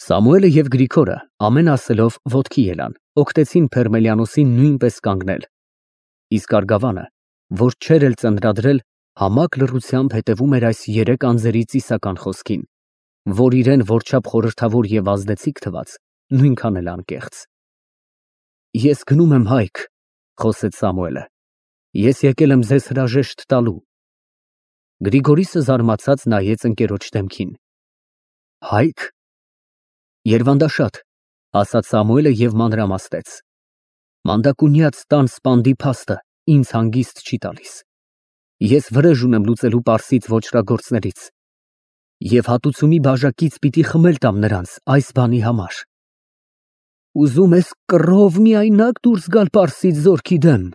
Սամուելը և Գրիգորը ամեն ասելով ոտքի ելան, օգնեցին Փերմելիանոսին նույնպես կանգնել, իսկ Արգավանը, որ չէր էլ ծննդրել, համակ լռությամբ հետևում էր այս երեք անձերի ծիսական խոսքին, որ իրեն որչափ խորհրդավոր և ազդեցիկ թվաց, նույնքան էլ անկեղծ։ Ես գնում եմ հայք, խոսեց Սամուելը, ես եկել եմ ձեզ հրաժեշտ տալու։ Գրիգորիսը զարմացած նայեց ընկերոջ դեմքին։ Հայք։ Երվանդաշատ, ասաց Սամուելը և մանրամասնեց. Մանդակունյաց տան սպանդի փաստը ինձ հանգիստ չի տալիս։ Ես վրեժ ունեմ լուծելու Պարսից ոճրագործներից և հատուցումի բաժակից պիտի խմել տամ նրանց այս բանի համար։ Ուզում ես կռով միայնակ դուրս գալ Պարսից զորքի դեմ,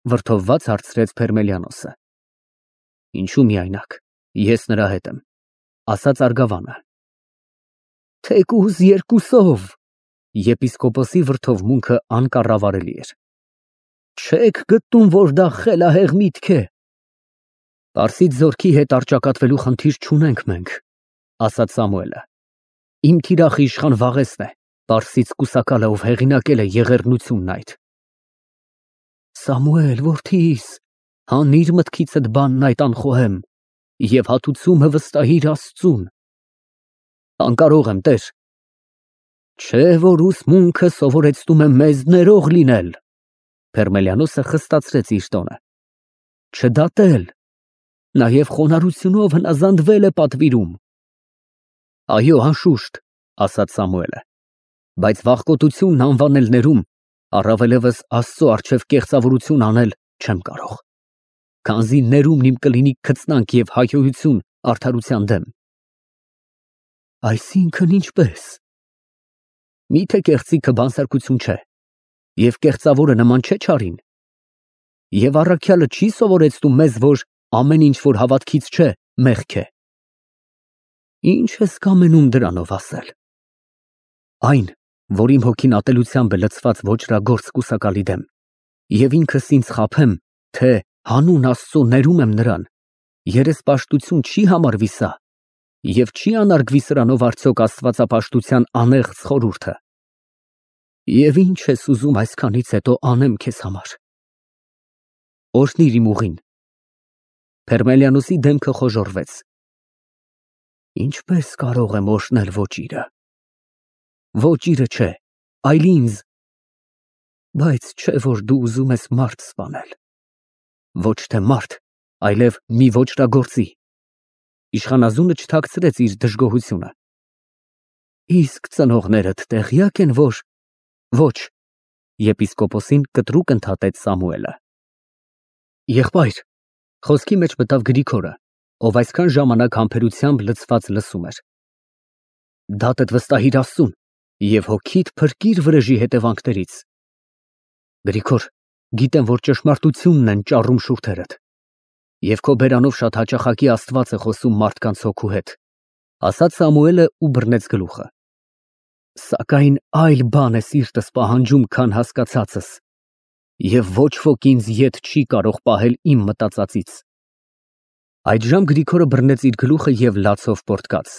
վրդովված հարցրեց Փերմելիանոսը։ Ինչու միայնակ, ես նրա հետ եմ, ասաց Արգավանը։ Թեկուզ երկուսով, եպիսկոպոսի վրդովմունքը անկառավարելի էր։ Չեք գտնում, որ դա խելահեղ միտք է։ Պարսից զորքի հետ առճակատվելու խնդիր չունենք մենք, ասաց Սամուելը։ Իմ թիրախը իշխան Վաղեսն է, Պարսից կուսակալը, ով հեղինակել է եղեռնությունն այդ։ Սամուել, որդիս, հանիր մտքիցդ բանն այդ անխոհեմ և հատուցումը վստահիր Աստծուն։ Անկարող եմ, տեր։ Չէ, որ ուսմունքը սովորեցնում է մեզ ներող լինել։ Փերմելիանոսը խստացրեց իր տոնը։ Չդատել, նաև խոնարհությունով հնազանդվել է պատվիրում։ Այո, անշուշտ, ասաց Սամուելը, բայց վախկոտությունն անվանելներում, առավելևս Աստծո առջև կեղծավորություն անել չեմ կարող, քանզի ներումն իմ կլինի քծնանք և հայհոյություն արդարության դեմ։ Այսինքն ինչպես։ Միթե կեղծիքը բանսարկություն չէ, և կեղծավորը նման չէ չարին։ Եվ առաքյալը չի սովորեցնում մեզ, որ ամեն ինչ, որ հավատքից չէ, մեղք է։ Ինչ ես կամենում դրանով ասել։ Այն, որ իմ հոգին ատելությամբ է լցված ոճրագործ կուսակալի դեմ, և ինքս ինձ խաբեմ, թե հանուն Աստծո ներում եմ նրան, երեսպաշտություն չի համարվի սա, և չի անարգվի սրանով արդյոք աստվածապաշտության անեղծ խորհուրդը։ Եվ ինչ ես ուզում այսքանից հետո անեմ քեզ համար։ Օրհնիր իմ ուղին։ Փերմելիանոսի դեմքը խոժոռվեց։ Ինչպես կարող եմ օրհնել ոճիրը։ Ոճիրը չէ, այլ ինձ։ Բայց չէ, որ դու ուզում ես մարդ սպանել։ Ոչ թե մարդ, այլև մի ոճրագործի։ Իշխանազունը չթաքցրեց իր դժգոհությունը։ Իսկ ծնողներդ տեղյակ են, որ… Ոչ, եպիսկոպոսին կտրուկ ընդհատեց Սամուելը։ Եղբայր, խոսքի մեջ մտավ Գրիգորը, ով այսքան ժամանակ համբերությամբ լցված լսում էր։ Դատդ վստահիր Աստծուն և հոգիդ փրկիր վրեժի հետևանքներից։ Գրիգոր, գիտեմ, որ ճշմարտությունն են ճառում շուրթերդ, և քո բերանով շատ հաճախակի Աստված է խոսում մարդկանց հոգու հետ, ասաց Սամուելը ու բռնեց գլուխը։ Սակայն այլ բան է սիրտս պահանջում, քան հասկացածս, և ոչ ոք ինձ ետ չի կարող պահել իմ մտածածից։ Այդժամ Գրիգորը բռնեց իր գլուխը և լացով պոռթկաց։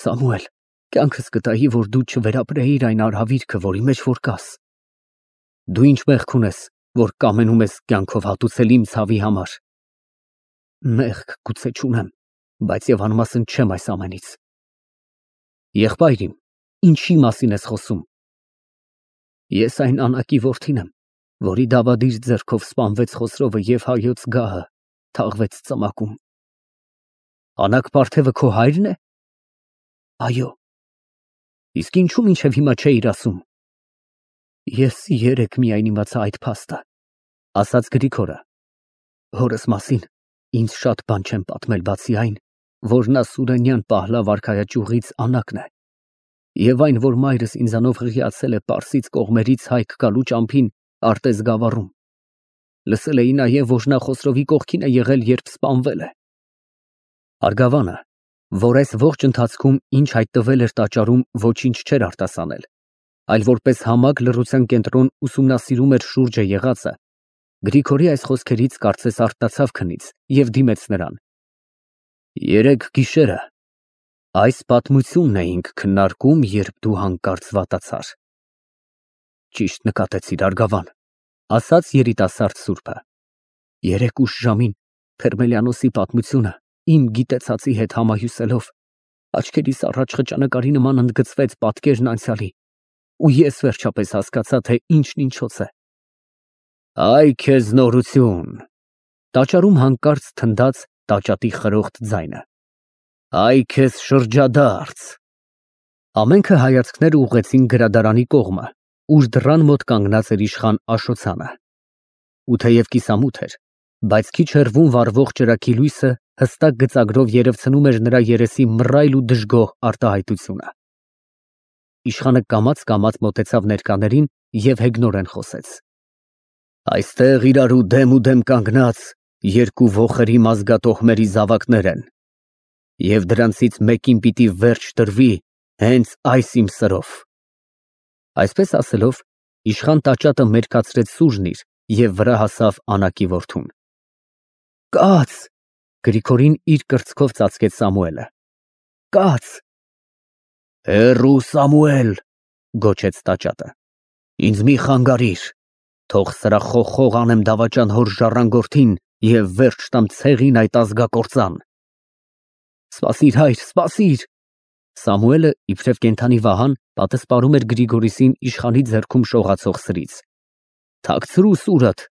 Սամուել, կյանքս կտայի, որ դու չվերապրեիր այն արհավիրքը, որի մեջ որ կաս։ Դու ինչ մեղք ունես, որ կամենում ես կյանքով հատուցել իմ ցավի համար։ Մեղք գուցե չունեմ, բայց և անմասն չեմ այս ամենից։ Եղբայր իմ, ինչի մասին ես խոսում։ Ես այն Անակի որդին եմ, որի դավադիր ձեռքով սպանվեց Խոսրովը և հայոց գահը թաղվեց ծամակում։ Անակ պարթևը քո հայրն է։ Այո։ Իսկ ինչու մինչև հիմա չէիր ասում։ Ես երեկ միայն իմացա այդ փաստը, ասաց Գրիգորը։ Հորս մասին ինձ շատ բան չեն պատմել, բացի այն, որ նա Սուրենյան Պահլավ արքայաճյուղից Անակն է, և այն, որ մայրս ինձանով հղիացել է Պարսից կողմերից հայք գալու ճամփին Արտեզ գավառում։ Լսել էի նաև, որ նա Խոսրովի կողքին է եղել, երբ սպանվել է։ Արգավանը, որ այս ողջ ընթացքում ինչ հայտնվել էր տաճարում, ոչինչ չէր արտասանել, այլ որպես համակ լռության կենտրոն ուսումնասիրում էր շուրջը եղածը, Գրիգորի այս խոսքերից կարծես արթնացավ քնից և դիմեց նրան։ Երեկ գիշերը Այս պատմությունն էինք քննարկում, երբ դու հանկարծ վատացար։ Ճիշտ նկատեցիր, Արգավան, ասաց երիտասարդ սուրբը։ Երեկ ուշ ժամին Փերմելիանոսի պատմությունը իմ գիտեցածի հետ համահյուսելով աչքերիս առաջ խճանկարի նման ընդգծվեց պատկերն անցյալի, ու ես վերջապես հասկացա, թե ինչն ինչոց է։ Այ քեզ նորություն։ Տաճարում հանկարծ թնդաց տաճատի խրոխտ ձայնը։ Այ քեզ շրջադարձ։ Ամենքը հայացքներ ուղղեցին գրադարանի կողմը, ուր դռան մոտ կանգնած էր իշխան Աշոցյանը։ Ու թեև կիսամութ էր, բայց քիչ հեռվում վառվող ճրագի լույսը հստակ գծագրով երևցնում էր նրա երեսի մռայլ ու դժգոհ արտահայտությունը։ Իշխանը կամաց մոտեցավ ներկաներին և հեգնորեն խոսեց. Այստեղ իրարու դեմ կանգնած երկու ոխերի մազգաթոհմերի զավակներ են, և դրանցից մեկին պիտի վերջ տրվի հենց այս իմ սրով։ Այսպես ասելով, իշխան տաճատը մերկացրեց սուրն իր և վրա հասավ Անակի որդուն։ Կաց, Գրիգորին իր կրծքով ծածկեց Սամուելը։ Կաց։ Հեռու Սամուել, գոչեց տաճատը, ինձ մի խանգարիր, թող սրա խոխող անեմ դավաճան հոր ժառանգորդին և վերջ տամ ցեղին այդ ազգակործան։ Սպասիր, հայր, սպասիր։ Սամուելը, իբրև կենդանի վահան, պատսպարում էր Գրիգորիսին իշխանի ձեռքում շողացող սրից։ Թաքցրու սուրդ։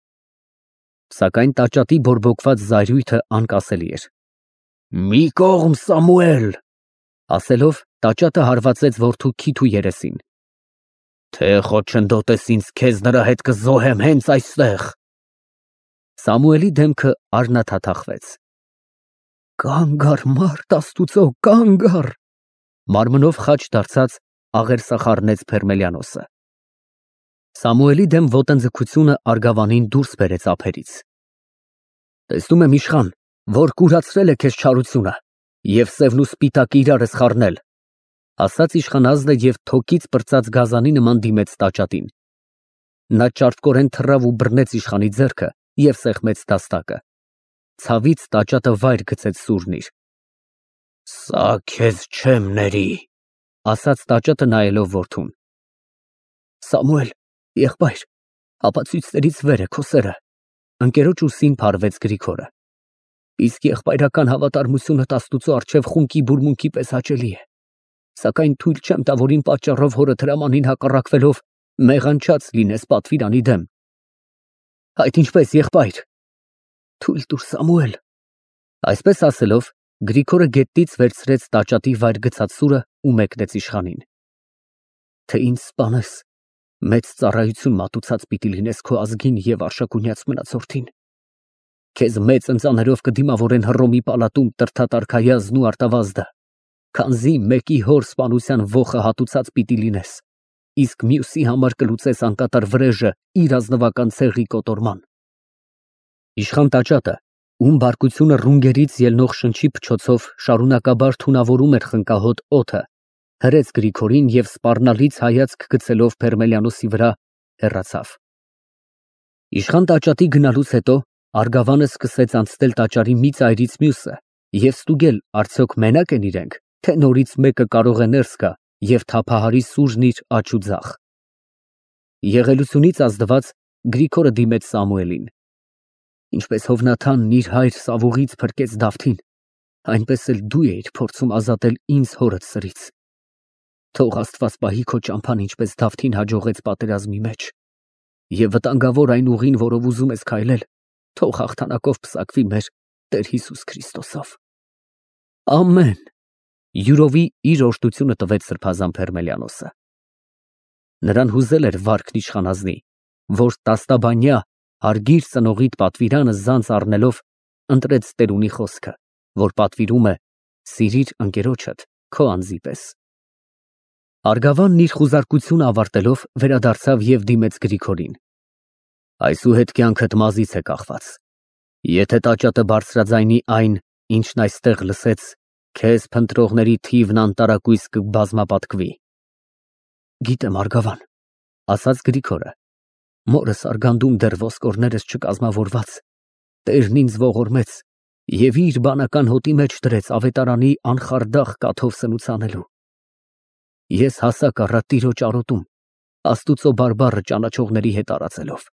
Սակայն տաճատի բորբոքված զայրույթը անկասելի էր։ Մի կողմ, Սամուել, ասելով տաճատը հարվածեց որդու քիթու երեսին։ Թե խոչընդոտես ինձ, քեզ նրա հետ կզոհեմ հենց այստեղ։ Սամուելի դեմքը արնաթաթախվեց։ Կանգ առ, մարդ Աստուծո, կանգ առ, մարմնով խաչ դարձած աղերսախառնեց Փերմելիանոսը։ Սամուելի դեմ ոտնձգությունը Արգավանին դուրս բերեց ափերից։ Տեսնում եմ, իշխան, որ կուրացրել է քեզ չարությունը և սևն ու սպիտակը իրար ես խառնել, ասաց իշխանազնը և թոկից պրծած գազանի նման դիմեց տաճատին։ Նա ճարպկորեն թռավ ու բռնեց իշխանի ձեռքը և սեղմեց դաստակը։ Ցավից տաճատը վայր գցեց սուրն իր։ Սա քեզ չեմ ների, ասաց տաճատը նայելով որդուն։ Սամուել, եղբայր, ապացույցներից վեր է քո սերը, ընկերոջ ուսին փարվեց Գրիգորը։ Իսկ եղբայրական հավատարմությունդ Աստուծո առջև խունկի բուրմունքի պես հաճելի է, սակայն թույլ չեմ տա, որ իմ պատճառով հորդ հրամանին հակառակվելով մեղանչած լինես պատվիրանի դեմ։ Այդ ինչպես, եղբայր։ Թույլ տուր, Սամուել։ Այսպես ասելով, Գրիգորը գետից վերցրեց տաճատի վայր գցած սուրը ու մեկնեց իշխանին։ Թե ինձ սպանես, մեծ ծառայություն մատուցած պիտի լինես քո ազգին և արշակունյաց մնացորդին։ Քեզ մեծ ընծաներով կդիմավորեն Հռոմի պալատում տրդատարքայազն ու արտավազդը, քանզի մեկի հոր սպանության ոխը հատուցած պիտի լինես, իսկ մյուսի համար կլուծես անկատար վրեժը իր ազնվական ցեղի կոտորման։ Իշխան տաճատը, ում բարկությունը ռունգերից ելնող շնչի փչոցով շարունակաբար թունավորում էր խնկահոտ օդը, հրեց Գրիգորին և սպառնալից հայացք գցելով Փերմելիանոսի վրա, հեռացավ։ Իշխան տաճատի գնալուց հետո Արգավանը սկսեց անցնել տաճարի մի ծայրից մյուսը և ստուգել, արդյոք մենակ են իրենք, թե նորից մեկը կարող է ներս գա և թափահարի սուրն իր աջ ու ձախ։ Եղելությունից ազդված Գրիգորը դիմեց Սամուելին։ Ինչպես Հովնաթանն իր հայր Սավուղից փրկեց Դավթին, այնպես էլ դու էիր փորձում ազատել ինձ հորդ սրից։ Թող Աստված պահի քո ճամփան, ինչպես Դավթին հաջողեց պատերազմի մեջ, և վտանգավոր այն ուղին, որով ուզում ես քայլել, թող հաղթանակով պսակվի մեր Տեր Հիսուս Քրիստոսով։ Ամեն։ Յուրովի իր օրհնությունը տվեց սրբազան Փերմելիանոսը։ Նրան հուզել էր վարքն իշխանազնի, որ տաստաբանյա հարգիր ծնողիդ պատվիրանը զանց առնելով ընտրեց տերունի խոսքը, որ պատվիրում է սիրիր ընկերոջդ քո անձի պես։ Արգավանն իր խուզարկությունը ավարտելով վերադարձավ և դիմեց Գրիգորին։ Այսուհետ կյանքդ մազից է կախված։ Եթե տաճատը բարձրաձայնի այն, ինչն այստեղ լսեց, քեզ փնտրողների թիվն անտարակույս կբազմապատկվի։ Գիտեմ, Արգավան, ասաց Գրիգորը, մորս արգանդում դեռ ոսկորներս չկազմավորված, Տերն ինձ ողորմեց Եվ իր բանական հոտի մեջ դրեց ավետարանի անխարդախ կաթով սնուց անելու։ Ես հասակ առա տիրոջ արոտում, Աստուծո բարբառը ճանաչողների հետ արածելով։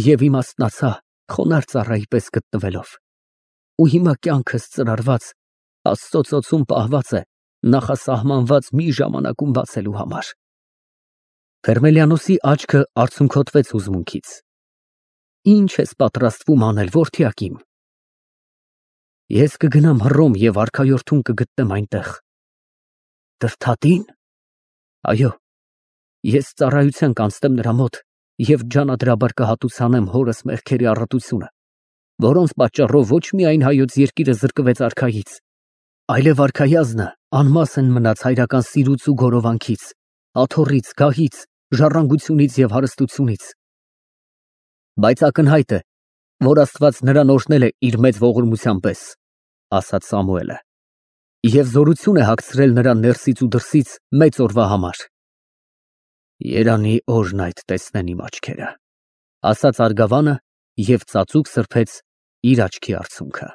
Եվ իմաստնացա խոնարհ ծառայի պես գտնվելով։ Ու հիմա կյանքս ծրարված, Աստծո ծոցում պահված է նախասահմանված մի ժամանակում բացելու համար։ Ֆերմելիանոսի աչքը արցունքոտվեց հուզմունքից։ Ինչ ես պատրաստվում անել, որդյակ իմ։ Ես կգնամ Հռոմ եւ արքայորդուն կգտնեմ այնտեղ։ Դրդատի՞ն։ Այո, ես ծառայության կանցնեմ նրա մոտ եւ ջանադրաբար կհատուցանեմ հորս մեղքերի առատությունը, որոնց պատճառով ոչ միայն հայոց երկիրը զրկվեց արքայից, այլև արքայազնը անմասն մնաց հայրական սիրուց ու գորովանքից, աթոռից, գահից, ժառանգությունից եւ հարստությունից։ Բայց ակնհայտ է, որ Աստված նրան օրհնել է իր մեծ ողորմության պես, ասաց Սամուելը, եւ զորություն է հագցրել նրան ներսից ու դրսից մեծ օրվա համար։ Երանի օրն այդ տեսնեն իմ աչքերը, ասաց արգավանը եւ ծածուկ սրբեց իր աչքի արցունքը։